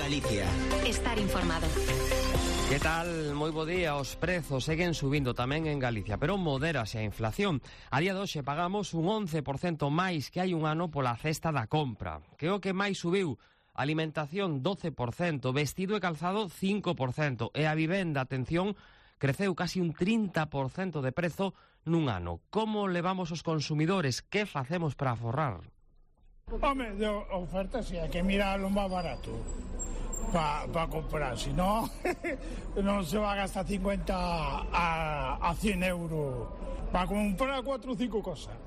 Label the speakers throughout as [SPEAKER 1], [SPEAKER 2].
[SPEAKER 1] Galicia.
[SPEAKER 2] Estar informado.
[SPEAKER 3] Que tal? Moi bo día. Os prezos seguen subindo tamén en Galicia, pero modérase a inflación. A día de hoxe pagamos un 11% máis que hai un ano pola cesta da compra. Que é o que máis subiu? Alimentación 12%, vestido e calzado 5%, e a vivenda, atención, creceu casi un 30% de prezo nun ano. Como levamos os consumidores? Que facemos para aforrar?
[SPEAKER 4] Home, de oferta si hai que mirar o máis barato para comprar, si non non se va a gastar 50 a 100 euros para comprar 4 ou 5 cosas.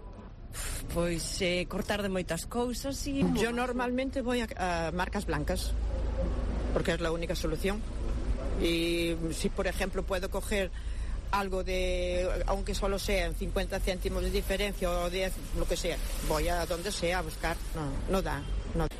[SPEAKER 5] Pois cortar de moitas cousas e... Yo normalmente voy a marcas blancas porque es la única solución, y si por ejemplo puedo coger algo de, aunque solo sean 50 céntimos de diferencia o 10, lo que sea, voy a donde sea a buscar. No da.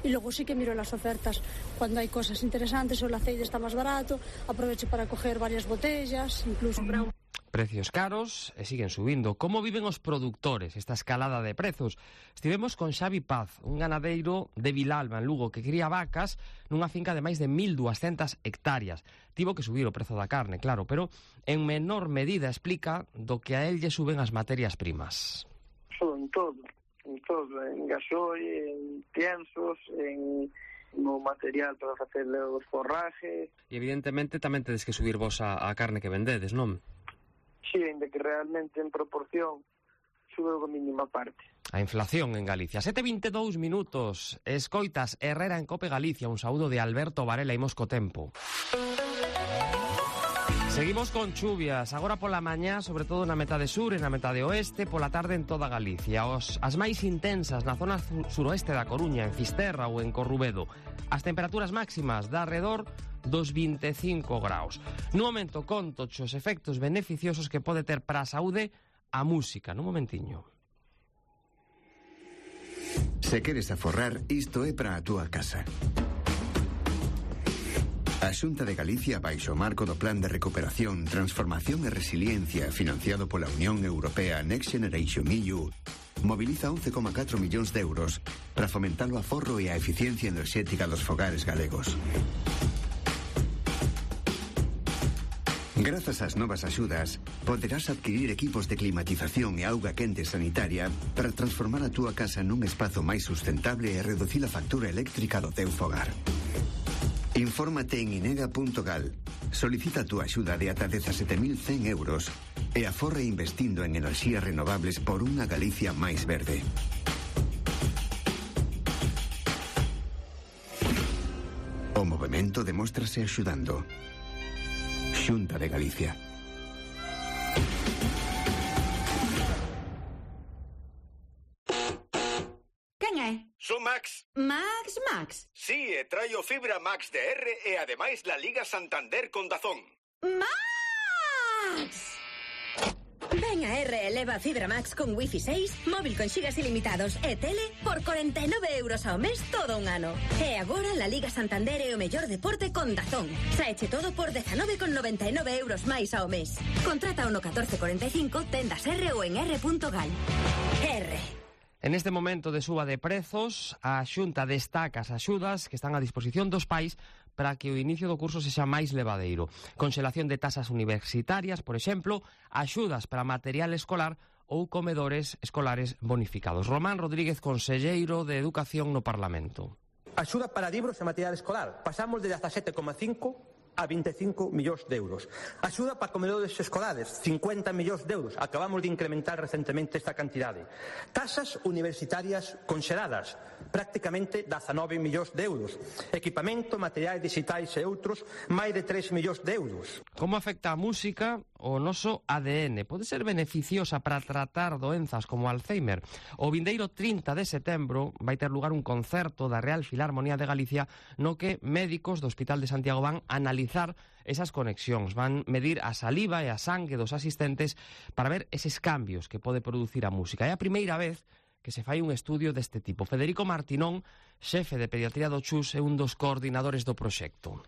[SPEAKER 6] Y luego sí que miro las ofertas cuando hay cosas interesantes, o el aceite está más barato, aprovecho para coger varias botellas, incluso brown.
[SPEAKER 3] Precios caros e siguen subindo. Como viven os produtores esta escalada de prezos? Estivemos con Xavi Paz, un ganadeiro de Vilalba, en Lugo, que cría vacas nunha finca de máis de 1.200 hectáreas. Tivo que subir o prezo da carne, claro, pero en menor medida explica do que a él lle suben as materias primas.
[SPEAKER 7] En todo, en gasoil, en piensos, no material para facer os forrajes.
[SPEAKER 3] E evidentemente tamén tedes que subir vos a carne que vendedes, non?
[SPEAKER 7] Sí, ainda que realmente en proporción sube a mínima parte.
[SPEAKER 3] A inflación en Galicia. 7:22 minutos. Escoitas Herrera en Cope Galicia. Un saúdo de Alberto Varela. Imos co tempo. Seguimos con chuvias, agora pola mañá, sobre todo na metade sur e na metade oeste, pola tarde en toda Galicia. As máis intensas na zona suroeste da Coruña, en Fisterra ou en Corrubedo. As temperaturas máximas da arredor dos 25 graus. No momento conto os efectos beneficiosos que pode ter para a saúde a música. No momentiño.
[SPEAKER 8] Se queres aforrar, isto é para a túa casa. A Xunta de Galicia, baixo o marco do Plan de Recuperación, Transformación e Resiliencia financiado pola Unión Europea Next Generation EU, moviliza 11,4 millóns de euros para fomentar o aforro e a eficiencia enerxética dos fogares galegos. Grazas ás novas axudas, poderás adquirir equipos de climatización e auga quente sanitaria para transformar a túa casa nun espazo máis sustentable e reducir a factura eléctrica do teu fogar. Infórmate en inega.gal, solicita a túa axuda de ata 17.100 euros e aforre investindo en enerxías renovables por unha Galicia máis verde. O movemento demóstrase axudando. Xunta de Galicia.
[SPEAKER 2] Quen é?
[SPEAKER 9] Son Max.
[SPEAKER 2] Max?
[SPEAKER 9] Sí, e traio fibra Max de R e ademais la Liga Santander con Dazón.
[SPEAKER 2] Max! Ven a R e leva fibra Max con Wi-Fi 6, móvil con xigas ilimitados e tele por 49 euros ao mes todo un ano. E agora la Liga Santander é o mellor deporte con Dazón. Saeche todo por 19,99 euros máis ao mes. Contrata o no 1445, tendas R ou en r.gal. R.
[SPEAKER 3] En este momento de suba de prezos, a Xunta destaca as axudas que están a disposición dos pais para que o inicio do curso sexa máis levadeiro. Conxelación de tasas universitarias, por exemplo, axudas para material escolar ou comedores escolares bonificados. Román Rodríguez, conselleiro de Educación no Parlamento.
[SPEAKER 10] Axuda para libros e material escolar. Pasamos de 17,5 a 25 millóns de euros. Axuda para comedores escolares, 50 millóns de euros. Acabamos de incrementar recentemente esta cantidade. Tasas universitarias conxeladas, prácticamente 19 millóns de euros. Equipamento, materiais digitais e outros, máis de 3 millóns de euros.
[SPEAKER 3] Como afecta a música o noso ADN? Pode ser beneficiosa para tratar doenzas como Alzheimer? O vindeiro 30 de setembro vai ter lugar un concerto da Real Filarmonía de Galicia no que médicos do Hospital de Santiago van a analizar esas conexións, van medir a saliva e a sangue dos asistentes para ver eses cambios que pode producir a música. É a primeira vez que se fai un estudio deste tipo. Federico Martinón, xefe de pediatría do CHUS, é un dos coordinadores do proxecto.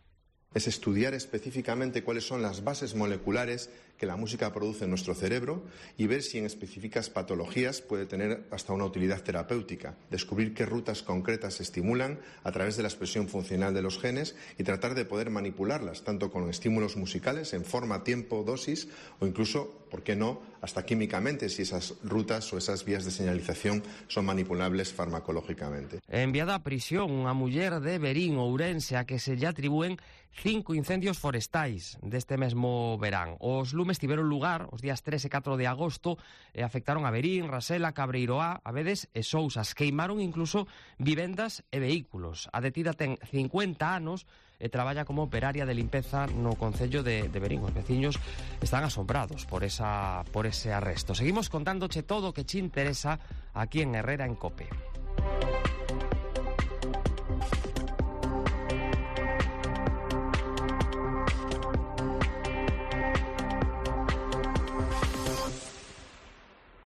[SPEAKER 11] Es estudiar específicamente cuáles son las bases moleculares
[SPEAKER 1] que la música produce en nuestro cerebro y ver si en específicas patologías puede tener hasta una utilidad terapéutica, descubrir qué rutas concretas se estimulan a través de la expresión funcional de los genes y tratar de poder manipularlas, tanto con estímulos musicales en forma, tiempo, dosis o incluso, ¿por qué no?, hasta químicamente, si esas rutas o esas vías de señalización son manipulables farmacológicamente.
[SPEAKER 3] Enviada a prisión unha muller de Verín, Ourense, a que se lle atribúen 5 incendios forestais deste mesmo verán. Os lumes tiveron lugar os días 3 e 4 de agosto e afectaron a Verín, Rasela, Cabreiroá, Abedes e Sousas. Queimaron incluso vivendas e vehículos. A detida ten 50 anos e traballa como operaria de limpeza no concello de Verín. Os veciños están asombrados por ese arresto. Seguimos contándoche todo o que che interesa aquí en Herrera en COPE.